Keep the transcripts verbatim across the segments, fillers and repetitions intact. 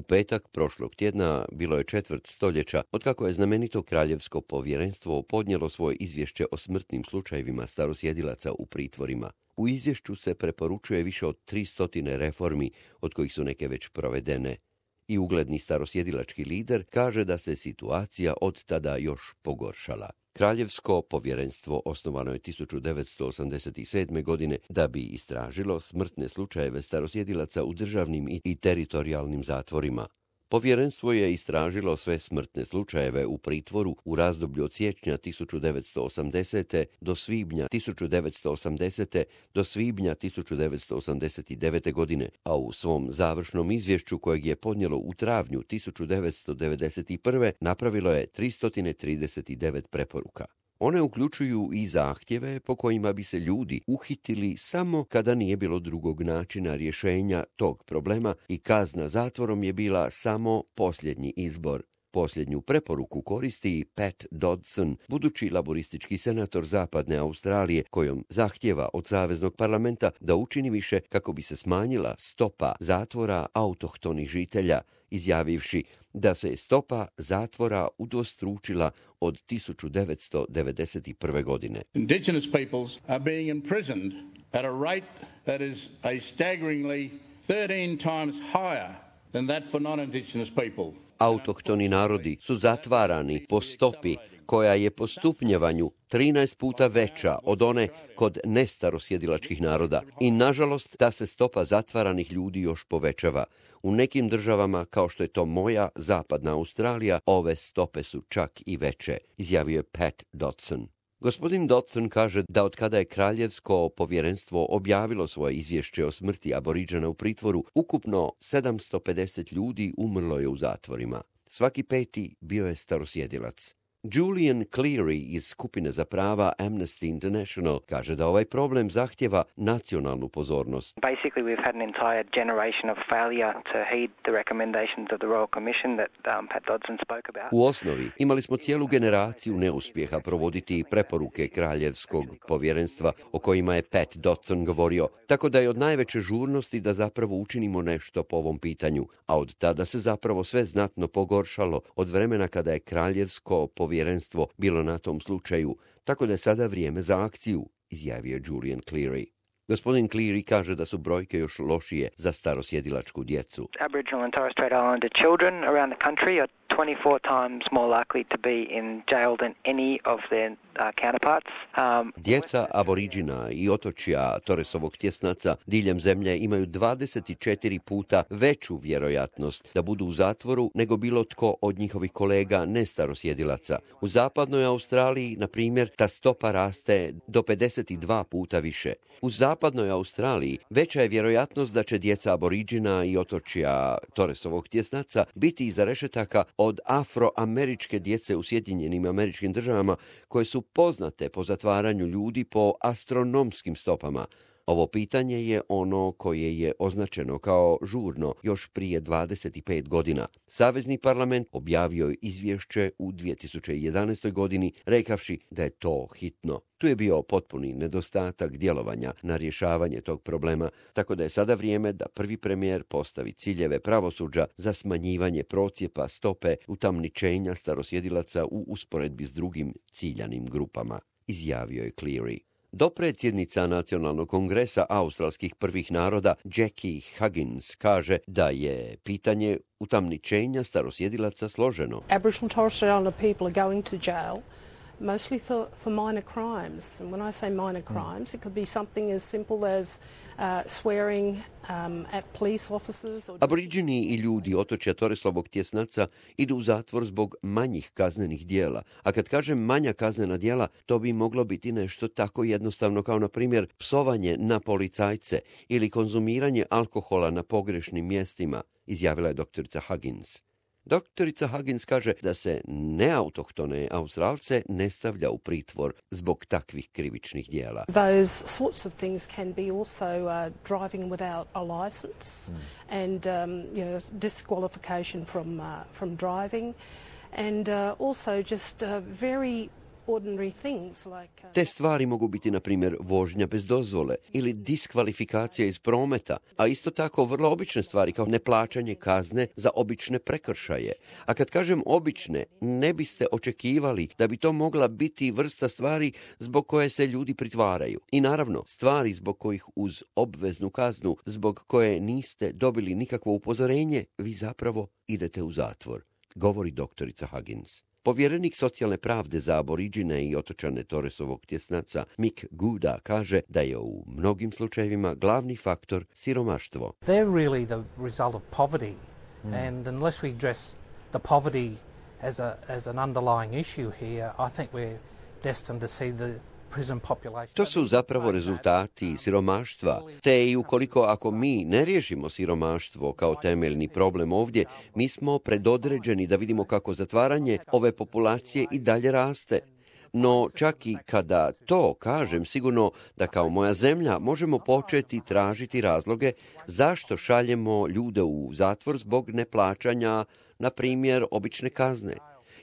petak prošlog tjedna bilo je četvrt stoljeća otkako je znamenito kraljevsko povjerenstvo podnijelo svoje izvješće o smrtnim slučajevima starosjedilaca u pritvorima. U izvješću se preporučuje više od tristotine reformi, od kojih su neke već provedene. I ugledni starosjedilački lider kaže da se situacija od tada još pogoršala. Kraljevsko povjerenstvo osnovano je tisuću devetsto osamdeset sedme. godine da bi istražilo smrtne slučajeve starosjedilaca u državnim i teritorijalnim zatvorima. Povjerenstvo je istražilo sve smrtne slučajeve u pritvoru u razdoblju od siječnja tisuću devetsto osamdesete. do svibnja tisuću devetsto osamdesete. do svibnja tisuću devetsto osamdeset devete. godine, a u svom završnom izvješću kojeg je podnijelo u travnju tisuću devetsto devedeset prve. napravilo je tristo trideset devet preporuka. One uključuju i zahtjeve po kojima bi se ljudi uhitili samo kada nije bilo drugog načina rješenja tog problema i kazna zatvorom je bila samo posljednji izbor. Posljednju preporuku koristi i Pat Dodson, budući laboristički senator Zapadne Australije, kojom zahtjeva od Saveznog parlamenta da učini više kako bi se smanjila stopa zatvora autohtonih žitelja, izjavivši da se stopa zatvora udvostručila od tisuću devetsto devedeset prve. godine. Indigenous peoples are being imprisoned at a rate that is a staggeringly thirteen times higher than that for non-indigenous people. Autohtoni narodi su zatvarani po stopi koja je po stupnjevanju trinaest puta veća od one kod nestarosjedilačkih naroda. I nažalost ta se stopa zatvaranih ljudi još povećava. U nekim državama, kao što je to moja Zapadna Australija, ove stope su čak i veće, izjavio je Pat Dodson. Gospodin Dodson kaže da od kada je kraljevsko povjerenstvo objavilo svoje izvješće o smrti Aboriđana u pritvoru, ukupno sedamsto pedeset ljudi umrlo je u zatvorima. Svaki peti bio je starosjedilac. Julian Cleary iz skupine za prava Amnesty International kaže da ovaj problem zahtjeva nacionalnu pozornost. Basically, we've had an entire generation of failure to heed the recommendations of the Royal Commission that um, Pat Dodson spoke about. U osnovi imali smo cijelu generaciju neuspjeha provoditi preporuke kraljevskog povjerenstva o kojima je Pat Dodson govorio, tako da je od najveće žurnosti da zapravo učinimo nešto po ovom pitanju, a od tada se zapravo sve znatno pogoršalo od vremena kada je kraljevsko povjerenstvo Povjerenstvo bilo na tom slučaju, tako da je sada vrijeme za akciju, izjavio Julian Cleary. Gospodin Cleary kaže da su brojke još lošije za starosjedilačku djecu. Aboriginal and Torres Strait Islander children around the country are twenty-four times more likely to be in jail than any of their uh, counterparts. Um, Djeca aboriđina i otočja Torresovog tjesnaca diljem zemlje imaju dvadeset četiri puta veću vjerojatnost da budu u zatvoru nego bilo tko od njihovih kolega nestarosjedilaca. U zapadnoj Australiji, na primjer, ta stopa raste do pedeset dva puta više. U zapadnoj Australiji veća je vjerojatnost da će djeca aboriđina i otočja Torresovog tjesnaca biti iza rešetaka od afroameričke djece u Sjedinjenim Američkim Državama koje su poznate po zatvaranju ljudi po astronomskim stopama. Ovo pitanje je ono koje je označeno kao žurno još prije dvadeset pet godina. Savezni parlament objavio je izvješće u dvije tisuće jedanaestoj. godini, rekavši da je to hitno. Tu je bio potpuni nedostatak djelovanja na rješavanje tog problema, tako da je sada vrijeme da prvi premijer postavi ciljeve pravosuđa za smanjivanje procjepa stope utamničenja starosjedilaca u usporedbi s drugim ciljanim grupama, izjavio je Cleary. Dopredsjednica Nacionalnog kongresa australskih prvih naroda Jackie Huggins kaže da je pitanje utamničenja starosjedilaca složeno. Aboriginal Torres Strait Islander people are going to jail mostly for, for minor crimes. And when I say minor crimes, it could be something as simple as uh, swearing um, at police officers. Or... Aboriđini i ljudi otočja Torresovog tjesnaca idu u zatvor zbog manjih kaznenih dijela. A kad kažem manja kaznena dijela, to bi moglo biti nešto tako jednostavno kao, na primjer, psovanje na policajce ili konzumiranje alkohola na pogrešnim mjestima, izjavila je doktorica Huggins. Doktorica Huggins kaže da se neautohtone Australce ne stavlja u pritvor zbog takvih krivičnih dijela. Those sorts of things can be also uh, driving without a license mm. and um, you know, disqualification from uh, from driving and uh, also just uh, very ordinary things like... Uh, Te stvari mogu biti, na primjer, vožnja bez dozvole ili diskvalifikacija iz prometa, a isto tako vrlo obične stvari kao neplaćanje kazne za obične prekršaje. A kad kažem obične, ne biste očekivali da bi to mogla biti vrsta stvari zbog koje se ljudi pritvaraju. I naravno, stvari zbog kojih uz obveznu kaznu, zbog koje niste dobili nikakvo upozorenje, vi zapravo idete u zatvor, govori doktorica Huggins. Povjerenik socijalne pravde za aboriđine i otočane Torresovog tjesnaca Mick Gooda kaže da je u mnogim slučajevima glavni faktor siromaštvo. They're really the result of poverty, mm. and unless we address the poverty as a as an underlying issue here, I think we're destined to see the To su zapravo rezultati siromaštva, te i ukoliko ako mi ne riješimo siromaštvo kao temeljni problem ovdje, mi smo predodređeni da vidimo kako zatvaranje ove populacije i dalje raste. No čak i kada to kažem, sigurno da kao moja zemlja možemo početi tražiti razloge zašto šaljemo ljude u zatvor zbog neplaćanja, na primjer, obične kazne.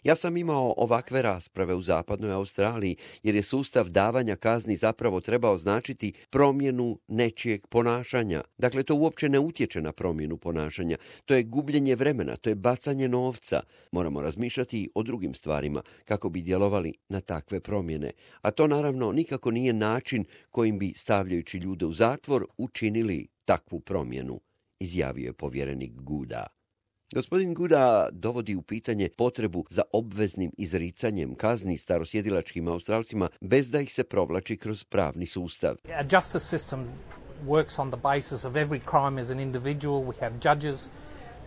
Ja sam imao ovakve rasprave u zapadnoj Australiji, jer je sustav davanja kazni zapravo trebao značiti promjenu nečijeg ponašanja. Dakle, to uopće ne utječe na promjenu ponašanja. To je gubljenje vremena, to je bacanje novca. Moramo razmišljati o drugim stvarima kako bi djelovali na takve promjene. A to naravno nikako nije način kojim bi, stavljajući ljude u zatvor, učinili takvu promjenu, izjavio je povjerenik Gooda. Gospodin Gooda dovodi u pitanje potrebu za obveznim izricanjem kazni starosjedilačkim Australcima bez da ih se provlači kroz pravni sustav. Our justice system works on the basis of every crime as an individual. We have judges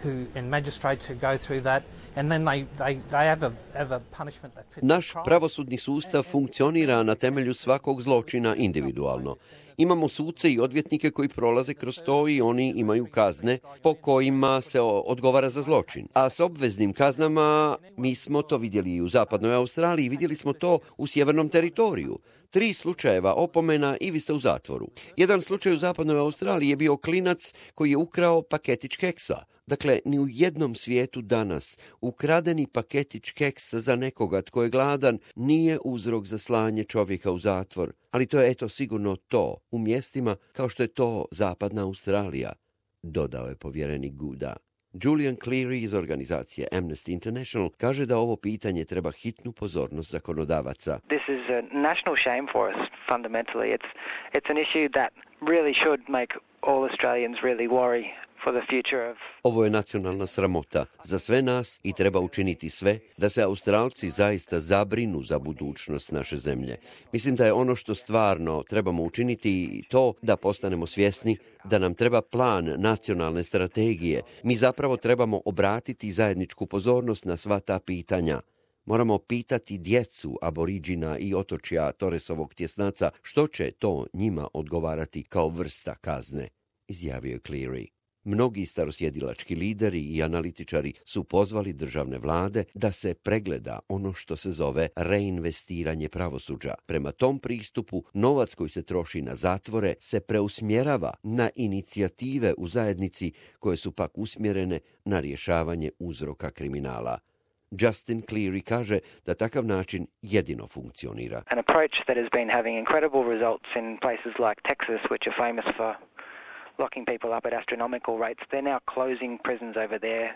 who and magistrates who go through that, and then they they they have a have a punishment that fits. Naš pravosudni sustav funkcionira na temelju svakog zločina individualno. Imamo suce i odvjetnike koji prolaze kroz to i oni imaju kazne po kojima se odgovara za zločin. A s obveznim kaznama mi smo to vidjeli i u zapadnoj Australiji, vidjeli smo to u sjevernom teritoriju. Tri slučajeva opomena i vi ste u zatvoru. Jedan slučaj u zapadnoj Australiji je bio klinac koji je ukrao paketić keksa. Dakle, ni u jednom svijetu danas ukradeni paketić keksa za nekoga tko je gladan nije uzrok za slanje čovjeka u zatvor. Ali to je eto sigurno to u mjestima kao što je to zapadna Australija, dodao je povjerenik Gooda. Julian Cleary iz organizacije Amnesty International kaže da ovo pitanje treba hitnu pozornost zakonodavaca. This is a national shame for us, fundamentally. It's, it's an issue that really should make all Australians really worry. Ovo je nacionalna sramota za sve nas i treba učiniti sve da se Australci zaista zabrinu za budućnost naše zemlje. Mislim da je ono što stvarno trebamo učiniti to da postanemo svjesni da nam treba plan nacionalne strategije. Mi zapravo trebamo obratiti zajedničku pozornost na sva ta pitanja. Moramo pitati djecu aboriđina i otočja Torresovog tjesnaca što će to njima odgovarati kao vrsta kazne, izjavio je Cleary. Mnogi starosjedilački lideri i analitičari su pozvali državne vlade da se pregleda ono što se zove reinvestiranje pravosuđa. Prema tom pristupu, novac koji se troši na zatvore se preusmjerava na inicijative u zajednici koje su pak usmjerene na rješavanje uzroka kriminala. Justin Cleary kaže da takav način jedino funkcionira. An approach that has been having incredible results in places like Texas, which are famous for locking people up at astronomical rates. They're now closing prisons over there.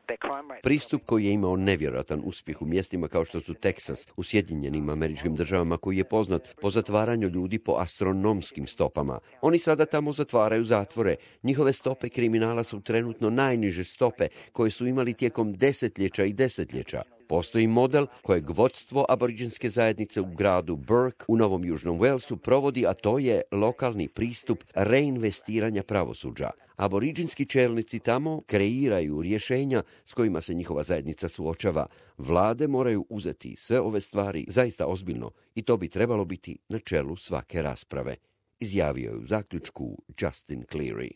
Their crime rate... Pristup koji je imao nevjerojatan uspjeh u mjestima kao što su Teksas u Sjedinjenim Američkim Državama, koji je poznat po zatvaranju ljudi po astronomskim stopama. Oni sada tamo zatvaraju zatvore. Njihove stope kriminala su trenutno najniže stope koje su imali tijekom desetljeća i desetljeća. Postoji model kojeg vodstvo aboriđinske zajednice u gradu Burke u Novom Južnom Walesu provodi, a to je lokalni pristup reinvestiranja pravosuđa. Aboriđinski čelnici tamo kreiraju rješenja s kojima se njihova zajednica suočava. Vlade moraju uzeti sve ove stvari zaista ozbiljno i to bi trebalo biti na čelu svake rasprave, izjavio je u zaključku Justin Cleary.